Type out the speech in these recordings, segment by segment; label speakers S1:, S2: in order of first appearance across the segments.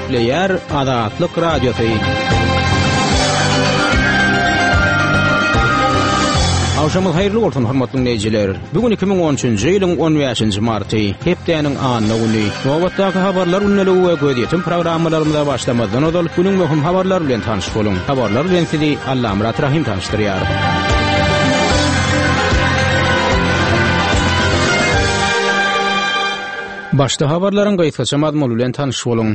S1: Gepleýär Azatlyk Radiosy. Agşamyňyz haýyrly bolsun, hormatly diňleýjiler. Bu gün 2013-nji ýylyň 15-nji marty, hepdäniň anna güni. Nobatdaky habarlar gündeligi we gözýetim programmalarymyza başlamazdan ozal, günüň möhüm habarlary bilen tanyş boluň. Habarlar bilen sizi Allamyrat Rahym tanyşdyrýar. Başda habarlaryň gysgaça mazmuny bilen tanyş boluň.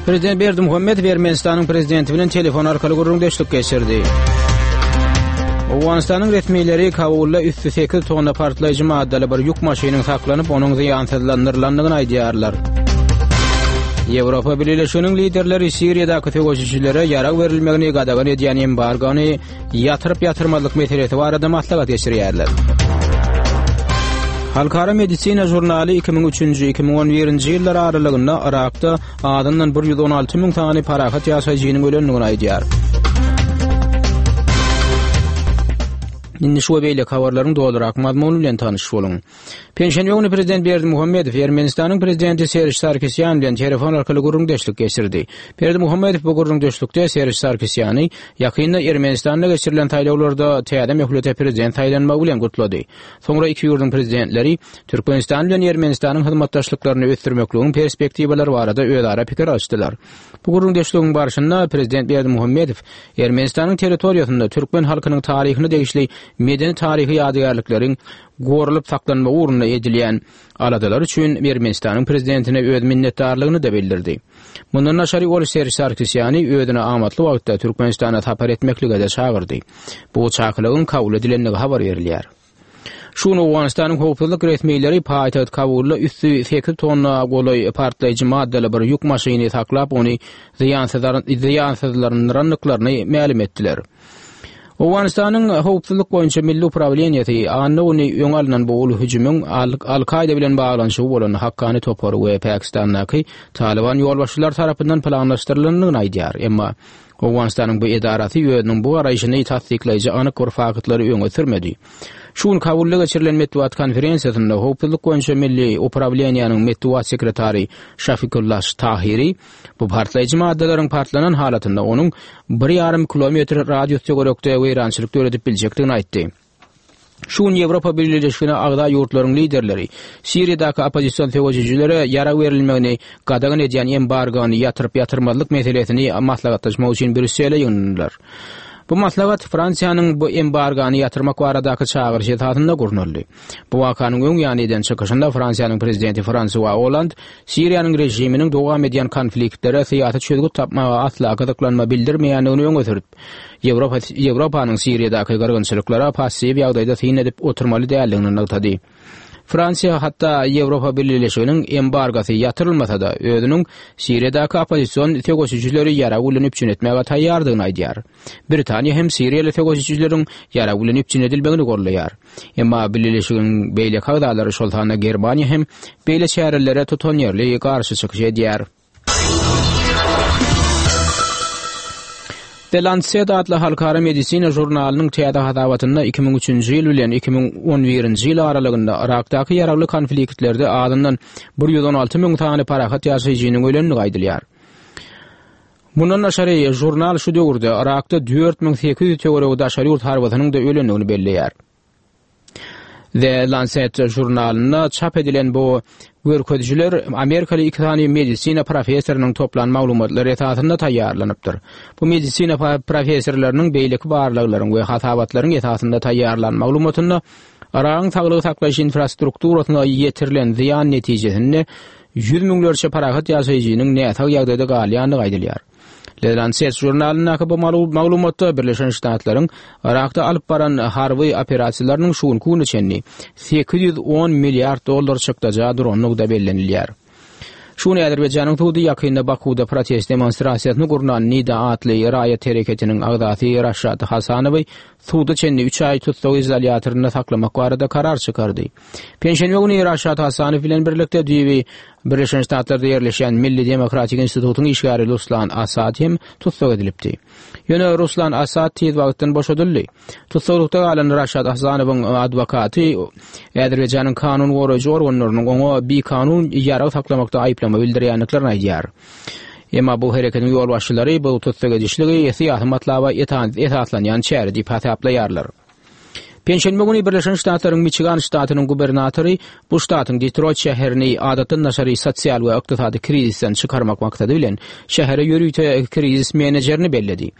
S1: Prezident Berdimuhamedow Ermenistanyň prezidenti bilen telefon arkaly gürrüňdeşlik geçirdi. Owganystanyň resmileri Kabulda üsti 8 tonna partlaýjy maddaly bir ýük maşynyň saklanyp, onuň zyýansyzlandyrylandygyny aýdýarlar. Ýewropa Bileleşiginiň liderleri Siriýadaky söweşijilere ýarag berilmegini gadagan edýän embargony ýatyryp-ýatyrmazlyk meselesi barada maslahat geçirýärler. Halkara medisina žurnaly 2003-nji, 2011-nji ýyllar aralygynda Yrakda azyndan 116 müň sany parahat ýaşaýjynyň ölendigini aýdýar. Indi şu we beýleki habarlaryň dolurak mazmuny bilen tanyş boluň. Penşenbe güni prezident Berdimuhamedow Ermenistanyň prezidenti Serž Sarkisýan bilen telefon arkaly gürrüňdeşlik geçirdi. Berdimuhamedow bu gürrüňdeşlikde Serž Sarkisýany ýakynda Ermenistanda geçirilen saýlawlarda täze möhlete prezident saýlanmagy bilen gutlady. Soňra iki ýurduň prezidentleri Türkmenistan bilen Ermenistanyň hyzmatdaşlyklaryny ösdürmekligiň perspektiwalary barada özara pikir alyşdylar. Bu gürrüňdeşligiň barşynda prezident Berdimuhamedow Ermenistanyň territoriýasynda türkmen halkynyň taryhyna degişli medeni-taryhy ýadygärlikleriň goralyp saklanmagy ugrunda edilýän aladalar üçin Ermenistanyň prezidentine öz minnetdarlygyny-da bildirdi. Mundan daşary ol Serž Sarkisýany özüne amatly wagtda Türkmenistana sapar etmeklige-de çagyrdy. Bu çakylygyň kabul edilendigi habar berilýär. Şu gün Owganystanyň howpsuzlyk resmileri paýtagt Kabulda üsti sekiz tonna golaý partlaýjy maddaly bir ýük maşyny saklap, ony zyýansyzlandyrandyklaryny mälim etdiler. Owganystanyň Howpsuzlyk boýunça milli uprawleniýesi anna güni öňi alnan bu uly hüjümiň Al-Kaýda bilen baglanyşygy bolan Hakkani topary we Pakistandaky Talyban ýolbaşçylary tarapyndan planlaşdyrylandygyny aýdýar. Emma Owganystanyň bu edarasy özüniň bu garaýşyny tassyklaýjy anyk bir faktlary öňe sürmedi. Şu gün Kabulda geçirilen metbugat konferensiýasynda Howpsuzlyk boýunça milli uprawleniýäniň metbugat sekretary Şafikullah Tahiri Bu partlaýjy maddalaryň partlanan halatynda onuň bir ýarym kilometr radius töwerekde weýrançylyk döredip biljekdigini aýtdy. Şu gün Ýewropa Bileleşigine agza ýurtlaryň liderleri Siriýadaky oppozision söweşijilere ýarag berilmegini gadagan edýän embargony ýatyryp-ýatyrmazlyk meselesini maslahatlaşmak üçin Brýussele ýygnandylar. Bu maslahat Fransiýanyň bu embargony ýatyrmak baradaky çagyryşy esasynda gurnaldy. Bu wakanyň öň ýany eden çykyşynda Fransiýanyň prezidenti Fransua Olland Siriýanyň režiminiň dowam edýän konfliktlere syýasy çözgüt tapmaga asla gyzyklanma bildirmeýändigini öňe sürüp, Ýewropa Ýewropanyň Siriýadaky gyrgynçylyklara passiw ýagdaýda syn edip oturmaly däldigini nygtady. Fransiýa hatda Ýewropa Bileleşiginiň embargosy ýatyrylmasa-da, özüniň Siriýadaky oppozision söweşijileri ýarag bilen üpjün etmäge taýýardygyny aýdýar. Britaniýa hem siriýaly söweşijileriň ýarag bilen üpjün edilmegini goldaýar. Emma bileleşigiň beýleki agzalary, şol sanda Germaniýa hem beýle çärelere tutanýerli garşy çykyş edýär. The Lancet atly halkara medisina žurnalynyň täze hasabatynda 2003-nji ýyl bilen 2011-nji ýyl aralygynda Yrakdaky ýaragly konfliktlerde azyndan 116 müň sany parahat ýaşaýjynyň ölendigi aýdylýar. Mundan daşary, žurnal şu döwürde Yrakda 4800 töweregi daşary ýurt harbysynyň-da ölendigini belleýär. The Lancet žurnalynda çap edilen bu görkezijiler amerikaly iki sany medisina professorynyň toplan maglumatlary esasynda taýýarlanypdyr. Bu medisina professorlarynyň beýleki barlaglaryň we hasabatlaryň esasynda taýýarlan maglumatynda Yragyň saglygy saklaýyş infrastrukturasyna ýetirilen zyýan netijesinde ýüz müňlerçe parahat ýaşaýjynyň näsag ýagdaýda galýandygy aýdylýar. The Lancet žurnalyndaky bu maglumatda Birleşen Ştatlaryň Yrakda alyp baran harby operasiýalarynyň şu günki güne çenli 810 milliard dollar çykdaja durandygy-da bellenilýär. Şu gün Azerbaýjanyň sudy ýakynda Bakuwda protest demonstrasiýasyny gurnan Nida atly raýat hereketiniň agzasy Raşad Hasanowy suda çenli üç aý tussag izolýatorynda saklamak barada karar çykardy. Penşenbe güni Raşad Hasanow bilen birlikde düýbi. Birleşen Ştatlarda ýerleşýän Milli demokratik institutyň işgäri Ruslan Asad hem tussag edilipdi. Ýöne Ruslan Asad tiz wagtdan boşadyldy. Tussaglykda galan Raşad Hasanowyň adwokaty Azerbaýjanyň kanun goraýjy organlarynyň oňa bikanun ýarag saklamakda aýyplama bildirýändiklerini aýdýar. Emma bu hereketiň ýolbaşçylary bu tussag edişligi syýasy matlaba esaslanýan çäre diýip hasaplaýarlar. Penşenbe güni Birleşen Ştatlaryň Miçigan ştatynyň gubernatory bu ştatyň Detroýt şäherini adatdan daşary sosial we ykdysady krizisden çykarmak maksady bilen şähere ýörite krizis menejerini belledi.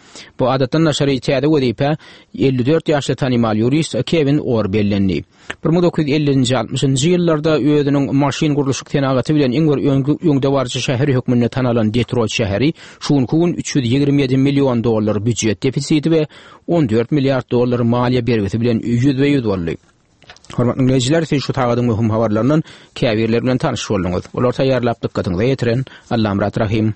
S1: Bu adatdan daşary täze wezipä 54 ýaşly tanymal ýurist Kewin Orr bellendi. 1950-nji, 60-njy ýyllarda özüniň maşyn gurluşyk senagaty bilen iň bir öňdebaryjy şäher hökmünde tanalan Detroýt şäheri şu günki gün 327 million dollar býujet defisiti we 14 milliard dollar maliýe bergisi bilen ýüzbe-ýüz boldy. Hormatly diňleýjiler, siz şu sagadyň möhüm habarlaryndan käbirleri bilen tanyş bolduňyz. Olary taýýarlap dykgatyňyza ýetiren Allamyrat Rahym.